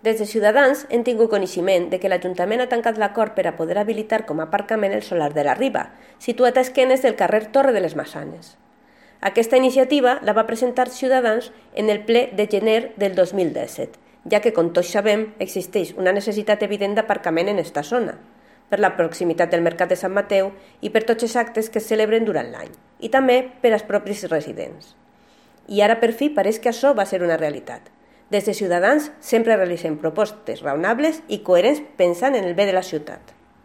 Des de Ciutadans hem tingut coneixement de que l'Ajuntament ha tancat l'acord per a poder habilitar com a aparcament el solar de la Riba, situat a esquenes del carrer Torre de les Maçanes. Aquesta iniciativa la va presentar Ciutadans en el ple de gener del 2017, ja que, com tots sabem, existeix una necessitat evident d'aparcament en esta zona, per la proximitat del Mercat de Sant Mateu i per tots els actes que es celebren durant l'any, i també per als propis residents. I ara per fi pareix que això va ser una realitat. Des de Ciutadans sempre realitzem propostes raonables i coherents pensant en el bé de la ciutat.